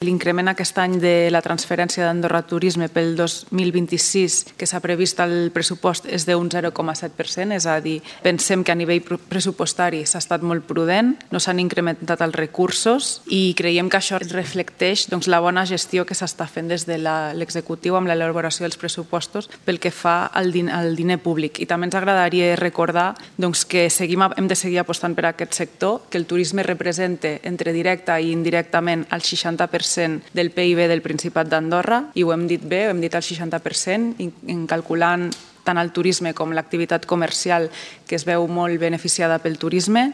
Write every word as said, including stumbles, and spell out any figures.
L'increment aquest any de la transferència d'Andorra Turisme pel dos mil vint-i-sis que s'ha previst al pressupost és d'un zero coma set per cent, és a dir, pensem que a nivell pressupostari s'ha estat molt prudent, no s'han incrementat els recursos i creiem que això reflecteix doncs, la bona gestió que s'està fent des de l'executiu amb l'elaboració dels pressupostos pel que fa al, din al diner públic. I també ens agradaria recordar doncs, que seguim, hem de seguir apostant per aquest sector, que el turisme representa entre directa i indirectament el seixanta per cent del P I B del Principat d'Andorra i ho hem dit bé, ho hem dit el seixanta per cent, en calculant tant el turisme com l'activitat comercial que es veu molt beneficiada pel turisme.